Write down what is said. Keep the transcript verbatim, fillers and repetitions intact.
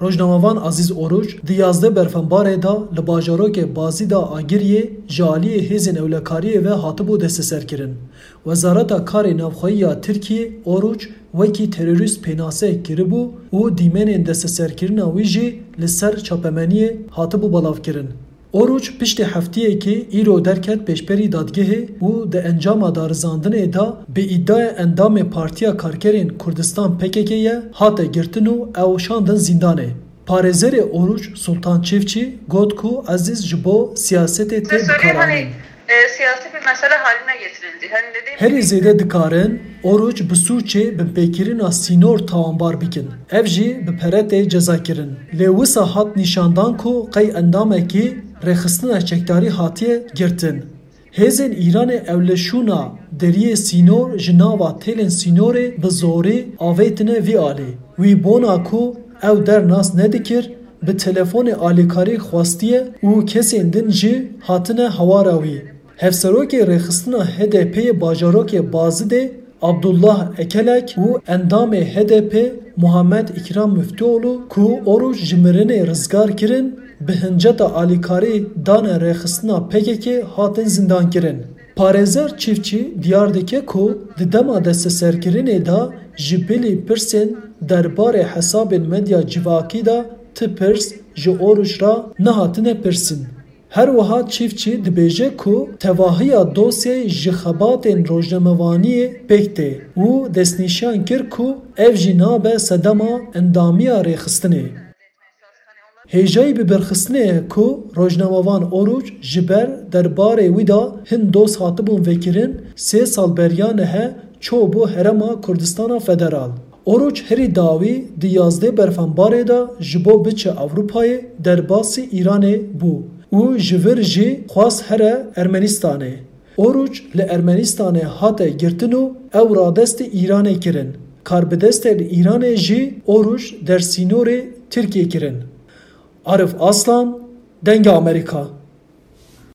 Rojnamevan Azîz Oruç di yazdeh berfembarê de li bajarokê Bazî de Agiriyê ji aliyê hêzên ewlekariyê ve hatibû desteserkirin. Wezareta Karê Navxweyî ya Tirkiyê Oruç wekî terorîst pênase kiribû û dîmenên desteserkirina wî jî li ser çapemeniyê hatibû belavkirin. Oruç piştî heftiyekê îro derket pêşberî dadgehê û di encama darizandinê de bi îdaya endamê Partiya Karkerên Kurdistan P K K ye hate girtin û ew şandin zîndanê. Parêzerê Oruç Sultan Çiftçî got ku Ezîz ji bo siyasetê tê bikaranîn. E, siyasi bir mesele haline getirildi. Hani dediğim Herî zêde dikarin Oruç bi sûcê binpêkirina sînor tawanbar bikin. Ev jî bi pere tê cezakirin. Lê wisa hat nîşandan ku qey endamekî rêxistina çekdarî hatiye girtin. Hêzên Îranê ew li şûna deriyê sînor ji nava têlên sînorê bi zorî avêtine vî alî. Wî bona ku ew der nas nedikir, bi telefonê alîkarî xwestiye û kesên din jî hatine hewara wî. Hevserokê rêxistina H D P'ê bajarokê Bazidê Abdullah Ekelek û endamê H D P Muhammed Îkram Miftîoğlu ku Oruç ji mirinê rizgar kirin, bi hinceta alîkarî dane rêxistina P K K hatin zîndankirin. Parêzer Çiftçî diyar dike ku di dema desteserkirinê de ji bilî pirsên derbarê hesabên medya civakî de ti pirs ji Oruç re nehatine pirsîn. Her wiha Çiftçî dibêje ku tevahiya dosyayê ji xebatên rojnamevaniyê pêk tê û destnîşan kir ku ev jî nabe sedema endamiya rêxistinê. Hêjayî bibirxistinê ye ku rojnamevan Oruç ji ber derbarê wî de hin doz hatibûn vekirin, sê sal beriya nihe çûbû Herêma Kurdistana Federal. Oruç herî dawî di yazdeh berfembarê de ji bo biçe Ewropayê derbasî Îranê bû û ji vir jî xwest here Ermenistanê. Oruç li Ermenistanê hate girtin û ew radestî Îranê kirin. Karbidestên Îranê jî Oruç dersînorê Tirkiyê kirin. Arif Aslan, Dengê Amerîka.